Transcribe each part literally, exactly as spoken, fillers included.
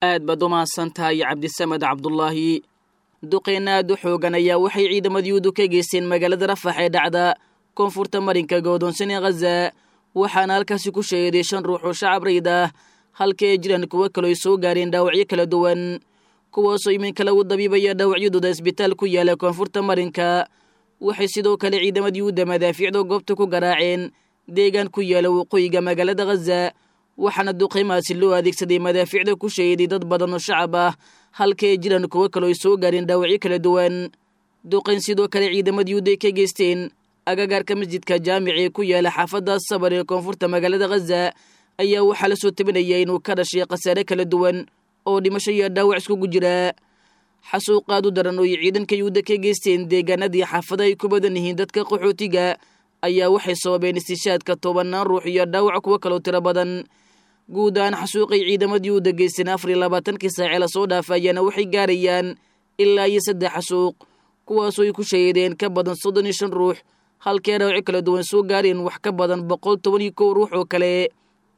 Aad baad u mahadsan tahay Cabdisamed Cabdulaahi. Duqeyna aad u xoogan ayaa waxay ciidamada Yuhuuddu ka geysteen magaalada Rafax ee dhacda koonfurta marinka godoonsan ee Khaza, waxaana halkaasi ku shahiiday shan ruux oo shacab rayd ah, halka ay jiraan kuwo kaloo ay soo gaareen dhaawacyo kala duwan, kuwaasoo iminka lagu dabiibaya dhaawacyadooda isbitaal ku yaala koonfurta marinka. Waxay sidoo kale ciidamada Yuhuudda madaafiicda goobta ku garaaceen deegaan ku yaala waqooyiga magaalada Khaza, waxaana duqeymahaasi loo adeegsaday madaafiicda ku shahiiday dad badan oo shacab ah, halka ay jiraan kuwo kaloo ay soo gaareen dhaawacyo kala duwan. Duqeyn sidoo kale ciidamada Yuhuudda ay ka geysteen agagaarka masjidka jaamici ee ku yaala xaafadda Sabar ee koonfurta magaalada Khaza ayaa waxaa la soo tabinaya inuu ka dhashay khasaare kala duwan oo dhimasho iyo dhaawac iskugu jira. Xasuuqaad u daran oo ay ciidanka Yuhuudda ka geysteen deegaanadii xaafada ay ku badan yihiin dadka qaxootiga ayaa waxay sababeen istishaadka tobanaan ruux iyo dhaawac kuwo kaloo tiro badan. Guud ahaan xasuuqay ciidamada Yuhuudda geysteen afar iyo labaatankii saacee lasoo dhaafa ayaana waxay gaarayaan ilaa iyo saddex xasuuq, kuwaasoo ay ku shahiideen ka badan soddon iyo shan ruux, halkii ay dhaawacyo kala duwan soo gaareen wax ka badan boqol toban iyo kow ruux oo kale,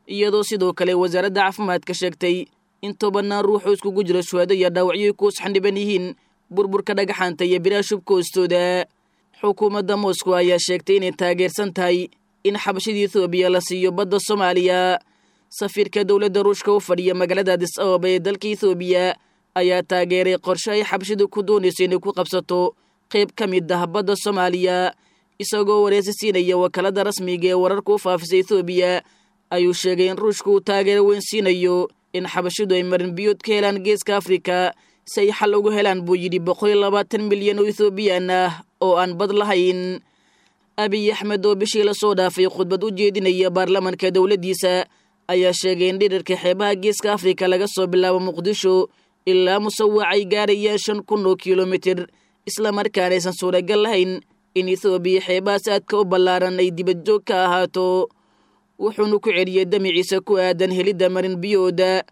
iyadoo sidoo kale wasaaradda caafimaadka sheegtay in tobanaan ruux oo iskugu jira shuhado iyo dhaawacyo ay ku usxandhiban yihiin burburka dhagaxaanta iyo biraha shubka hoostooda. Xukuumadda Moscow ayaa sheegtay inay taageersan tahay in xabashida Ethoobiya la siiyo badda Soomaaliya. Safiirka dowladda Ruushka u fadhiya magaalada Addis Ababa ee dalka Ethoobiya ayaa taageeray qorshe ay xabashidu ku doonayso inay ku qabsato qayb ka mid ah badda Soomaaliya. Isagoo wareysi siinaya wakaalada rasmiga ee wararka u faafisa Ethoobiya ayuu sheegay in Ruushka uu taageero weyn siinayo in xabashidu ay marin biyood ka helaan geeska Afrika si ay xal ugu helaan, buu yidhi, boqol iyo labaatan milyan oo Ethoobiyan ah oo aan bad lahayn. Abiy Axmed oo bishii lasoo dhaafay khudbad u jeedinaya baarlamanka dowladdiisa ayaa sheegay in dhirarka xeebaha geeska Afrika laga soo bilaabo Muqdisho ilaa Musawac ay gaarayaan shan kun oo kilomitir, islamarkaana aysan suuragal lahayn in Ethoobiya xeebahaas aadka u ballaaran ay dibadjoog ka ahaato. Wuxuuna ku celiyey damiciisa ku aadan helidda marin biyooda.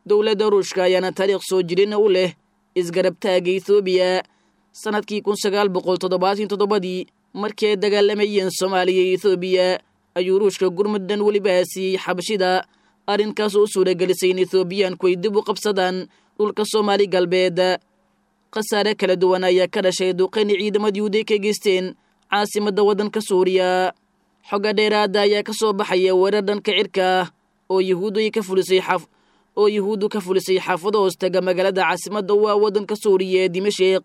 Dowladda Ruushka ayaana taariikh soo jirina u leh isgarabtaaga Ethoobiya. Sanadkii kun sagaal boqol toddobaatan toddobadii markii ay dagaalamayeen Soomaaliya iyo Ethoobiya ayuu Ruushka gurmuddan weliba siiyey xabashida, arrinkaas oo u suuragelisay in Ethoobiyaanku ay dib u qabsadaan dhulka Soomaali Galbeed. Khasaare kala duwan ayaa ka dhashay duqeyni ciidamada Yuhuudda ka geysteen caasimadda waddanka Suuriya. Xogga dheeraada ayaa ka soo baxaya weerar dhanka cirka ah oo Yuhuuddu ay ka fulisay xaf oo Yuhuuddu ka fulisay xaafado hoostaga magaalada caasimadda waa waddanka Suuriya ee Dimashiq.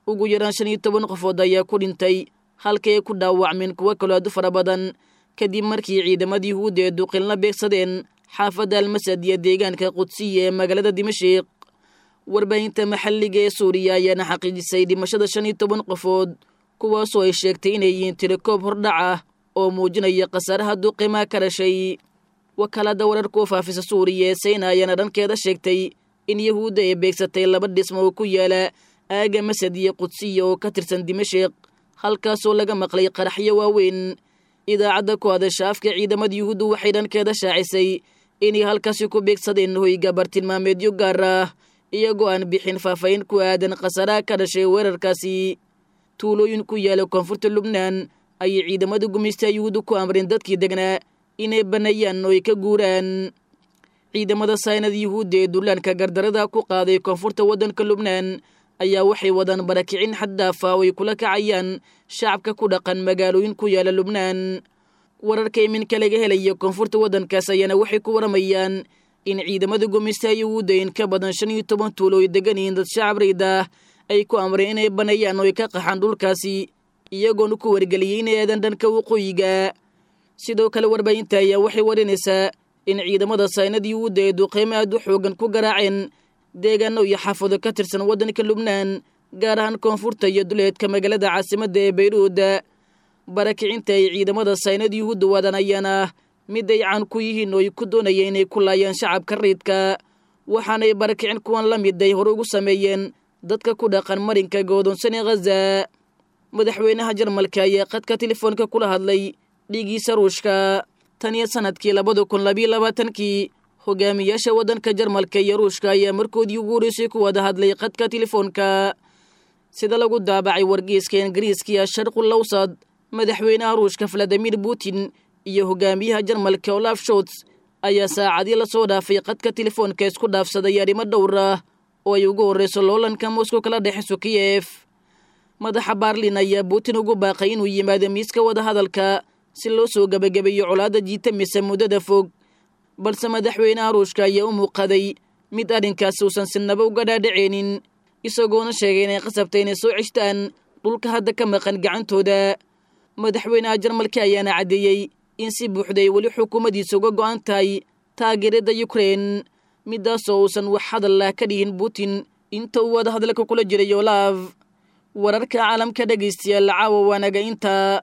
Ugu yaraan shan iyo toban qofood ayaa ku dhintay, halka ay ku dhaawacmeen kuwo kaloo aad u fara badan, kadib markii ciidamada Yuhuudda ee duqinla beegsadeen xaafadda Almasad iyo deegaanka Qudsiya ee magaalada Dimashiq. Warbaahinta maxalliga ee Suuriya ayaana xaqiijisay dhimashada shan iyo toban qofood, kuwaasoo ay sheegtay inay yihiin tirokoob hordhac ah oo muujinaya khasaaraha duqimaha ka dhashay. Wakaalada wararka u faafisa Suuriya ee Sayna ayaana dhankeeda sheegtay in Yuhuudda ay beegsatay laba dhismo oo ku yaala aaga Masad iyo Qudsiya oo ka tirsan Dimashiq, halkaasoo laga maqlay qaraxyo waaweyn. Idaacadda ku hadasha afka ciidamada Yuhuuddu waxay dhankeeda shaacisay inay halkaasi ku beegsadeen hoyga bartilmaameedyo gaar ah, iyagoo aan bixin faahfaahin ku aadan khasaaraha ka dhashay weerarkaasi. Tuulooyin ku yaala koonfurta Lubnaan ayay ciidamada gumaysta Yuhuuddu ku amreen dadkii degnaa inay banneeyaan oo ay ka guuraan. Ciidamada saynada Yuhuudda ee dullaanka gardarada ku qaaday koonfurta waddanka Lubnaan ayaa waxay wadaan barakicin xad daaf ah oo ay kula kacayaan shacabka ku dhaqan magaalooyin ku yaala Lubnaan. Wararka iminka laga helaya koonfurta waddankaas ayaana waxay ku waramayaan in ciidamada gumaysta Yuhuudda in ka badan shan iyo toban tuulo ay degan yihiin dad shacab rayd ah ay ku amreen inay banneeyaan oo ay ka qaxaan dhulkaasi, iyagoona ku wargeliyey inay aadan dhanka waqooyiga. Sidoo kale warbaahinta ayaa waxay warinaysaa in ciidamada saynada Yuhuudda ee duqeymo aad u xoogan ku garaaceen deegaano iyo xaafado ka tirsan waddanka Lubnaan, gaar ahaan koonfurta iyo duleedka magaalada caasimadda ee Bayruud. Barakicinta ay ciidamada saynada Yuhuudda wadaan ayaana ah mid ay caan ku yihiin oo ay ku doonayeen inay ku laayaan shacabka rayidka, waxaanay barakicin kuwan la mid ay hore ugu sameeyeen dadka ku dhaqan marinka godoonsan ee Khaza. Madaxweynaha Jarmalka ayaa qadka telefoonka kula hadlay dhigiisa Ruushka. Tan iyo sanadkii labada kun labiyo labaatankii hogaamiyaasha waddanka Jarmalka iyo Ruushka ayaa markoodii ugu horeysay ku wada hadlay qadka telefoonka, sida lagu daabacay wargeyska Ingiriiska Sharqul Awsad. Madaxweynaha Ruushka Valadimir Putin iyo hogaamiyaha Jarmalka Olaf Scholz ayaa saacadii lasoo dhaafay qadka telefoonka isku dhaafsaday arrimo dhowr ah oo ay ugu horreyso loolanka moscow kala dhexeyso kiyef. Madaxa Baarlin ayaa Putin ugu baaqay inuu yimaado miiska wadahadalka si loo soo gebagabeeyo colaadda jiitamaysa muddada fog, balse madaxweynaha Ruushka ayaa u muuqaday mid arrinkaasi uusan sinaba uga dhaadhaceynin, isagoona sheegay inay qasabtay inay soo ceshtaan dhulka hadda ka maqan gacantooda. Madaxweynaha Jarmalka ayaana caddeeyey in si buuxda ay weli xukuumaddiisa uga go'an tahay taageerada Ukrein, midaasoo uusan wax hadal ah ka dhihin Putin inta uu wadahadalka kula jiray Olaaf. Wararka caalamka dhegaystayaal caawa waanaga intaa.